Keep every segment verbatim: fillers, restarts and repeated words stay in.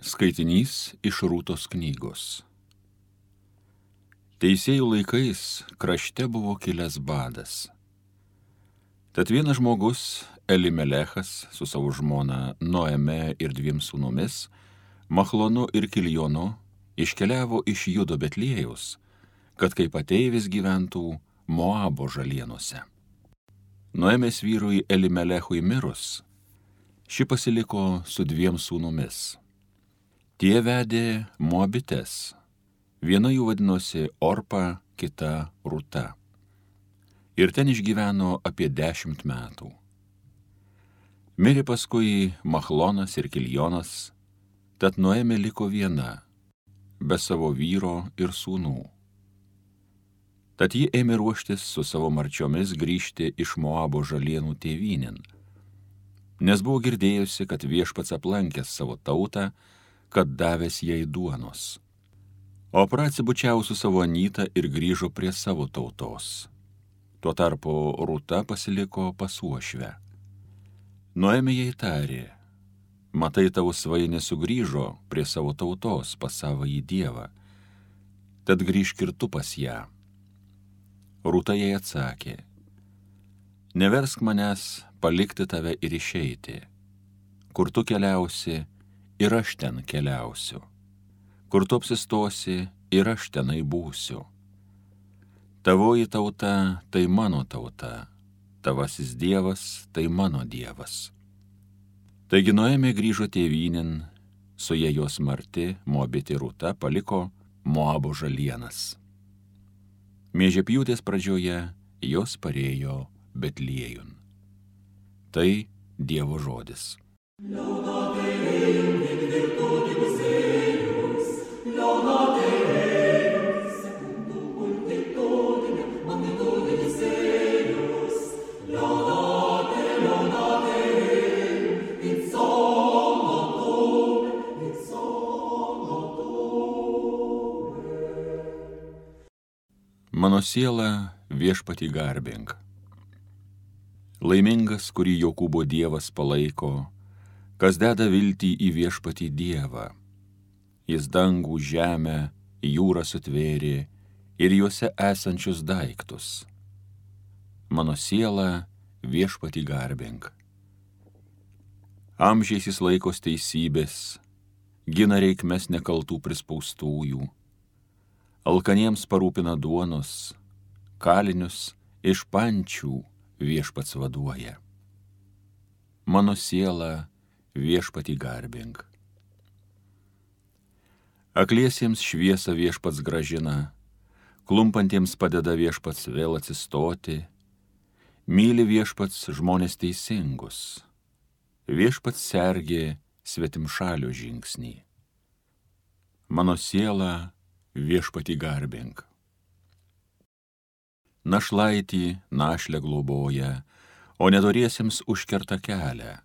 Skaitinys iš Rūtos knygos. Teisėjų laikais krašte buvo kilęs badas. Tad vienas žmogus, Elimelechas, su savo žmona Noeme ir dviem sūnumis, Machlonu ir Kiljonu, iškeliavo iš Judo Betliejaus, kad kaip ateivis gyventų Moabo žalienose. Noemės vyrui Elimelechui mirus, ši pasiliko su dviem sūnumis. Tie vedė Moabites, viena jų vadinosi Orpa, kita Rūta. Ir ten išgyveno apie dešimt metų. Mirė paskui Machlonas ir Kiljonas, tad Noemė liko viena, be savo vyro ir sūnų. Tad ji ėmė ruoštis su savo marčiomis grįžti iš Moabo žalienų tėvynėn, nes buvo girdėjusi, kad Viešpats aplankęs savo tautą, kad davęs jai duonos. O atsibučiavo su savo anyta ir grįžo prie savo tautos. Tuo tarpu Rūta pasiliko pas uošvę. Noemė jai tarė: matai, tavo svajonė sugrįžo prie savo tautos pas savąjį dievą, tad grįžk ir tu pas ją. Rūta jai atsakė: neversk manęs palikti tave ir išeiti. Kur tu keliausi, ir aš ten keliausiu. Kur tu apsistosi, ir aš tenai būsiu. Tavoji tauta tai mano tauta, tavasis dievas tai mano dievas. Taigi Noemė grįžo tėvynėn, su ja jos marti Moabitė Rūta paliko Moabo žalienas. Miežepjūtės pradžioje jos parėjo Betliejun. Tai Dievo žodis. Mano siela Viešpatį garbink. Laimingas, kurį Jokūbo Dievas palaiko, kas deda viltį į Viešpatį Dievą. Jis dangų, žemę, jūrą sutvėrė ir juose esančius daiktus. Mano siela Viešpatį garbink. Amžiais jis laikos teisybės, gina reikmes nekaltų prispaustųjų. Alkaniems parūpina duonos, kalinius iš pančių Viešpats vaduoja. Mano siela Viešpatį garbink. Akliesiems šviesą Viešpats grąžina, klumpantiems padeda Viešpats vėl atsistoti, myli Viešpats žmonės teisingus, Viešpats sergė svetimšalio žingsnį. Mano siela Viešpatį garbink. Našlaitį našlę globoja, o nedoriesiems užkerta kelią.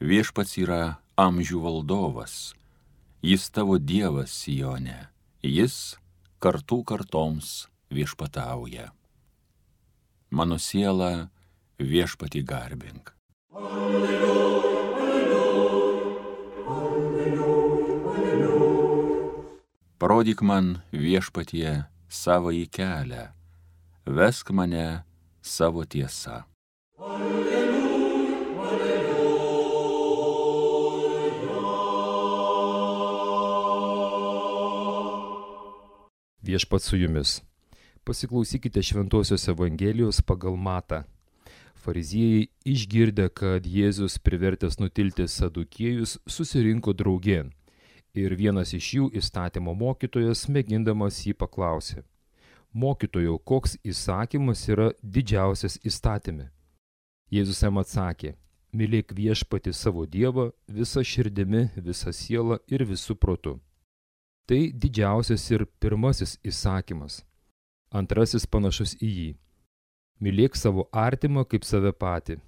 Viešpats yra amžių valdovas, jis tavo dievas Sione, jis kartų kartoms viešpatauja. Mano siela Viešpatį garbink. Alleluja, alleluja, alleluja, alleluja. Parodyk man, Viešpatie, savąjį kelią, vesk mane savo tiesa. Alleluja, alleluja. Viešpats su jumis. Pasiklausykite Šventosios Evangelijos pagal Matą. Fariziejai išgirdę, kad Jėzus privertęs nutilti sadukiejus, susirinko draugėn. Ir vienas iš jų, įstatymo mokytojas, mėgindamas jį paklausė: mokytojau, koks įsakymas yra didžiausias įstatyme? Jėzus jam atsakė: mylėk Viešpatį savo Dievą visa širdimi, visa siela ir visu protu. Tai didžiausias ir pirmasis įsakymas. Antrasis panašus į jį: mylėk savo artimą kaip save patį.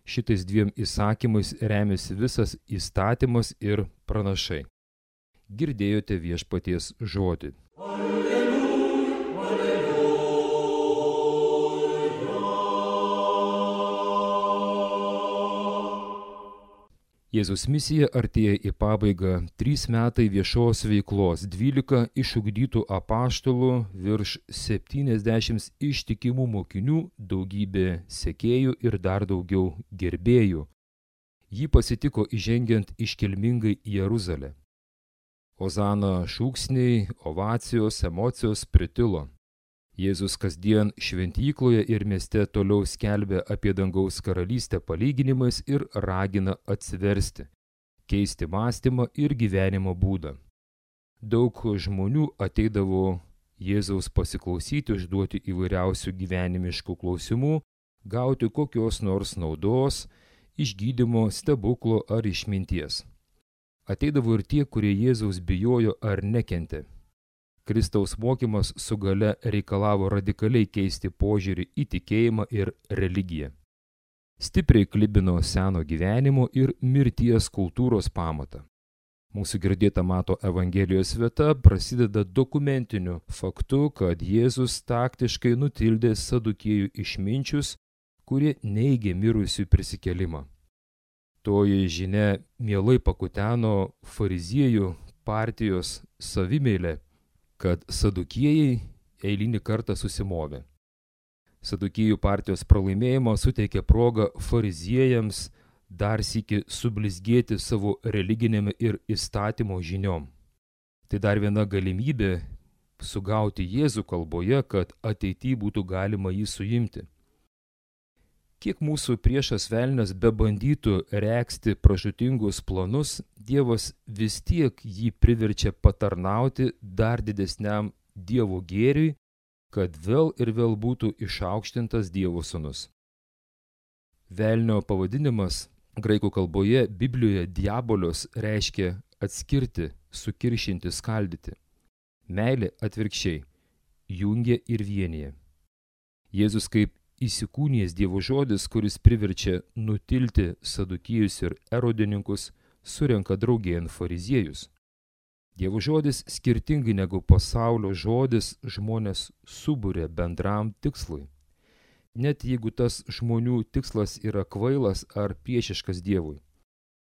Šitais dviem įsakymais remiasi visas įstatymas ir pranašai. Girdėjote Viešpaties žodį. Alleluja, alleluja. Jėzaus misija artėja į pabaigą. Trys metai viešos veiklos, dvylika išugdytų apaštalų, virš septyniasdešimt ištikimų mokinių, daugybė sekėjų ir dar daugiau gerbėjų. Jį pasitiko įžengiant iškilmingai į Jeruzalę. Ozana šūksniai, ovacijos, emocijos pritilo. Jėzus kasdien šventykloje ir mieste toliau skelbia apie dangaus karalystę palyginimais ir ragina atsiversti, keisti mąstymą ir gyvenimo būdą. Daug žmonių ateidavo Jėzaus pasiklausyti, užduoti įvairiausių gyvenimiškų klausimų, gauti kokios nors naudos, išgydymo, stebuklo ar išminties. Ateidavo ir tie, kurie Jėzaus bijojo ar nekentė. Kristaus mokymas su gale reikalavo radikaliai keisti požiūrį į tikėjimą ir religiją. Stipriai klibino seno gyvenimo ir mirties kultūros pamatą. Mūsų girdėta Mato Evangelijos vieta prasideda dokumentiniu faktu, kad Jėzus taktiškai nutildė sadukėjų išminčius, kurie neigė mirusių prisikėlimą. Toji žinia mielai pakuteno fariziejų partijos savimeilę, kad sadukėjai eilinį kartą susimovė. Sadukėjų partijos pralaimėjimo suteikė progą fariziejams dar sykį sublizgėti savo religinėme ir įstatymo žiniom. Tai dar viena galimybė sugauti Jėzų kalboje, kad ateityje būtų galima jį suimti. Kiek mūsų priešas velnias bebandytų regzti pražūtingus planus, Dievas vis tiek jį priverčia patarnauti dar didesniam Dievo gėriui, kad vėl ir vėl būtų išaukštintas Dievo sūnus. Velnio pavadinimas graikų kalboje Biblijoje diabolios reiškia atskirti, sukiršinti, skaldyti. Meilė atvirkščiai jungia ir vienija. Jėzus kaip įsikūnijęs Dievo žodis, kuris priverčia nutilti sadukėjus ir erodininkus, surenka draugėn fariziejus. Dievo žodis, skirtingai negu pasaulio žodis, žmonės suburia bendram tikslui. Net jeigu tas žmonių tikslas yra kvailas ar priešiškas Dievui.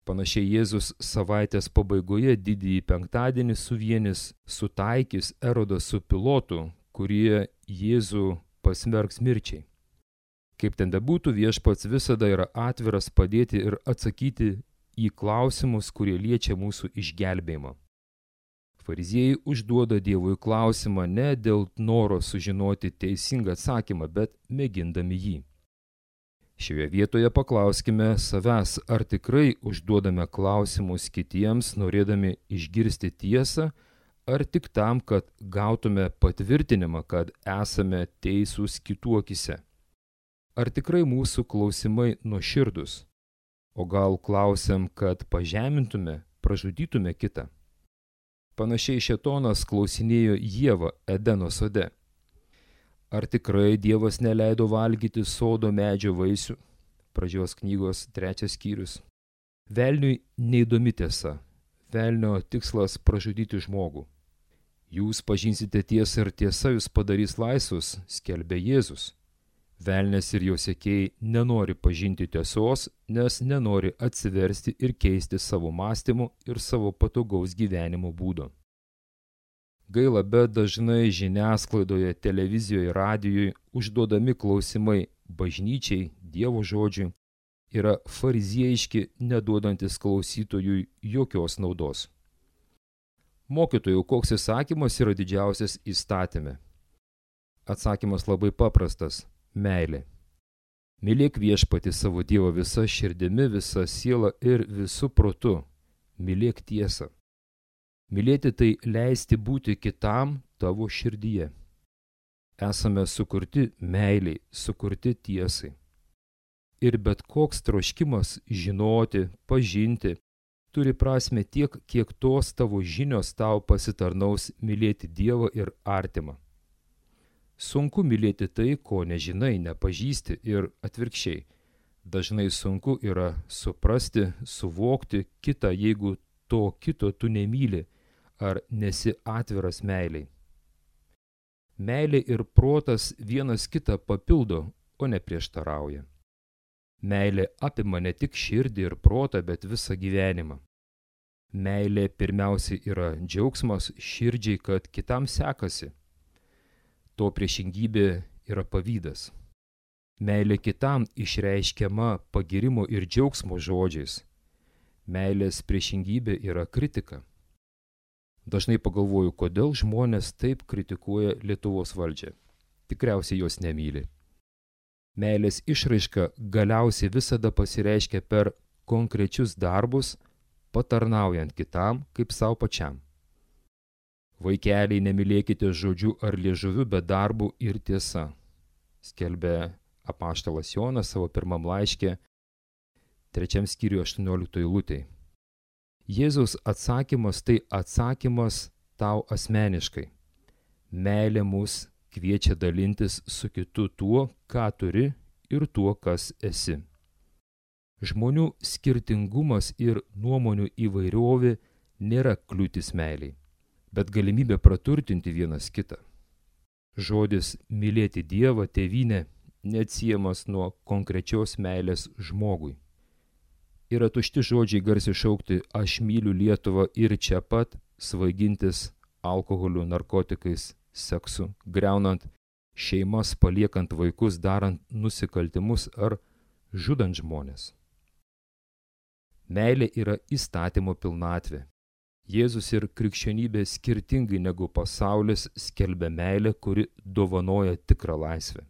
Panašiai Jėzus savaitės pabaigoje didįjį penktadienį suvienis, sutaikys Erodą su Pilotu, kurie Jėzų pasmerks mirčiai. Kaip ten bebūtų, Viešpats visada yra atviras padėti ir atsakyti į klausimus, kurie liečia mūsų išgelbėjimą. Fariziejai užduoda Dievui klausimą ne dėl noro sužinoti teisingą atsakymą, bet mėgindami jį. Šioje vietoje paklauskime savęs, ar tikrai užduodame klausimus kitiems, norėdami išgirsti tiesą, ar tik tam, kad gautume patvirtinimą, kad esame teisūs kitų akyse. Ar tikrai mūsų klausimai nuoširdūs, o gal klausiam, kad pažemintume, pražudytume kitą? Panašiai šėtonas klausinėjo Ievą Edeno sode. Ar tikrai Dievas neleido valgyti sodo medžio vaisių? Pradžios knygos trečias skyrius. Velniui neįdomi tiesa. Velnio tikslas pražudyti žmogų. Jūs pažinsite tiesą ir tiesa jūs padarys laisvus, skelbė Jėzus. Velnias ir jo sekėjai nenori pažinti tiesos, nes nenori atsiversti ir keisti savo mąstymo ir savo patogaus gyvenimo būdo. Gaila, bet dažnai žiniasklaidoje, televizijoje, radijoje užduodami klausimai bažnyčiai, Dievo žodžiui yra fariziejiški, neduodantis klausytojui jokios naudos. Mokytojau, koks įsakymas yra didžiausias įstatyme? Atsakymas labai paprastas. Meilė. Mylėk Viešpatį savo Dievą visa širdimi, visa siela ir visu protu. Mylėk tiesą. Mylėti tai leisti būti kitam tavo širdyje. Esame sukurti meiliai, sukurti tiesai. Ir bet koks troškimas žinoti, pažinti, turi prasme tiek, kiek tos tavo žinios tau pasitarnaus mylėti Dievą ir artimą. Sunku mylėti tai, ko nežinai, nepažįsti ir atvirkščiai. Dažnai sunku yra suprasti, suvokti kitą, jeigu to kito tu nemyli ar nesi atviras meiliai. Meilė ir protas vienas kitą papildo, o ne prieštarauja. Meilė apima ne tik širdį ir protą, bet visą gyvenimą. Meilė pirmiausiai yra džiaugsmas širdžiai, kad kitam sekasi. To priešingybė yra pavydas. Meilė kitam išreiškiama pagirimo ir džiaugsmo žodžiais. Meilės priešingybė yra kritika. Dažnai pagalvoju, kodėl žmonės taip kritikuoja Lietuvos valdžią. Tikriausiai jos nemyli. Meilės išraiška galiausiai visada pasireiškia per konkrečius darbus, patarnaujant kitam kaip savo pačiam. Vaikeliai, nemylėkite žodžiu ar liežuviu, bet darbu ir tiesa, skelbė apaštalas Jonas savo pirmam laiške, trečiam skyriuje aštuonioliktoj eilutėj. Jėzaus atsakymas tai atsakymas tau asmeniškai. Meilė mus kviečia dalintis su kitu tuo, ką turi ir tuo, kas esi. Žmonių skirtingumas ir nuomonių įvairovė nėra kliūtis meiliai, bet galimybė praturtinti vienas kitą. Žodis mylėti Dievą, tėvynę neatsiejamas nuo konkrečios meilės žmogui. Yra tušti žodžiai garsiai šaukti aš myliu Lietuvą ir čia pat svaigintis alkoholiu, narkotikais, seksu, griaunant šeimas, paliekant vaikus, darant nusikaltimus ar žudant žmonės. Meilė yra įstatymo pilnatvė. Jėzus ir krikščionybė skirtingai negu pasaulis skelbia meilę, kuri dovanoja tikrą laisvę.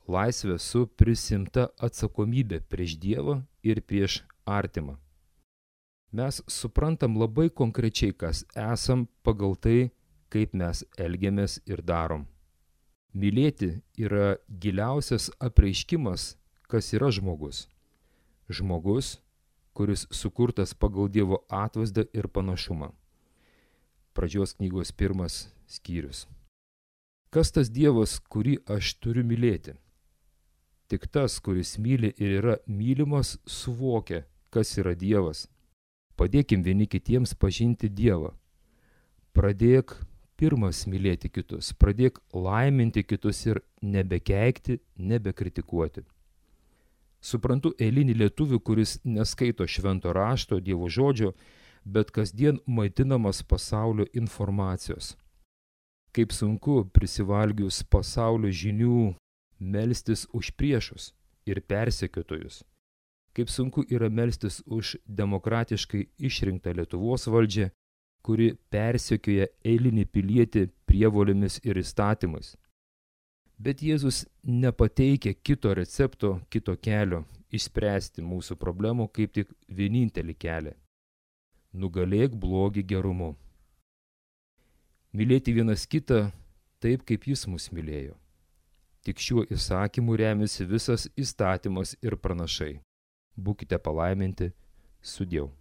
Laisvė su prisimta atsakomybė prieš Dievą ir prieš artimą. Mes suprantam labai konkrečiai, kas esam pagal tai, kaip mes elgiamės ir darom. Mylėti yra giliausias apreiškimas, kas yra žmogus. Žmogus, kuris sukurtas pagal Dievo atvaizdą ir panašumą. Pradžios knygos pirmas skyrius. Kas tas Dievas, kurį aš turiu mylėti? Tik tas, kuris myli ir yra mylimas, suvokia, kas yra Dievas. Padėkim vieni kitiems pažinti Dievą. Pradėk pirmas mylėti kitus, pradėk laiminti kitus ir nebekeikti, nebekritikuoti. Suprantu eilinį lietuvį, kuris neskaito švento rašto, Dievo žodžio, bet kasdien maitinamas pasaulio informacijos. Kaip sunku prisivalgius pasaulio žinių melstis už priešus ir persekiotojus. Kaip sunku yra melstis už demokratiškai išrinktą Lietuvos valdžią, kuri persekioja eilinį pilietį prievolėmis ir įstatymais. Bet Jėzus nepateikia kito recepto, kito kelio išspręsti mūsų problemų, kaip tik vienintelį kelią. Nugalėk blogį gerumu. Mylėti vienas kitą taip, kaip jis mus mylėjo. Tik šiuo įsakymu remiasi visas įstatymas ir pranašai. Būkite palaiminti, sudieu.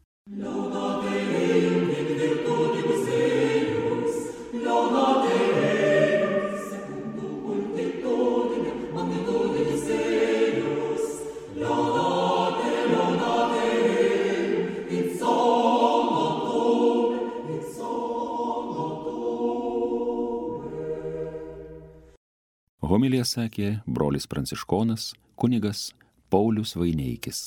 Homiliją sakė brolis pranciškonas kunigas Paulius Vaineikis.